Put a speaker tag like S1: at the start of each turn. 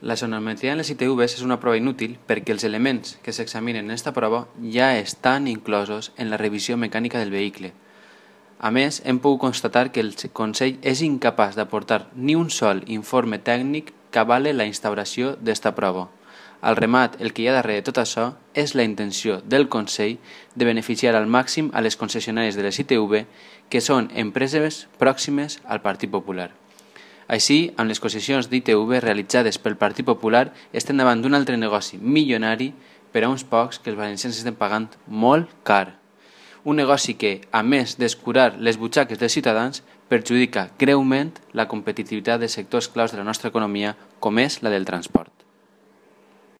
S1: La sonometria en les ITVs és una prova inútil perquè els elements que s'examinen en aquesta prova ja estan inclosos en la revisió mecànica del vehicle. A més, hem pogut constatar que el Consell és incapaç d'aportar ni un sol informe tècnic que avale la instauració d'esta prova. Al remat, el que hi ha darrere de tot això és la intenció del Consell de beneficiar al màxim a les concessionàries de les ITV, que són empreses pròximes al Partit Popular. Així, amb les concessions d'ITV realitzades pel Partit Popular estem davant d'un altre negoci milionari per a uns pocs que els valencians estem pagant molt car. Un negoci que, a més d'escurar les butxaques dels ciutadans, perjudica greument la competitivitat de sectors claus de la nostra economia, com és la del transport.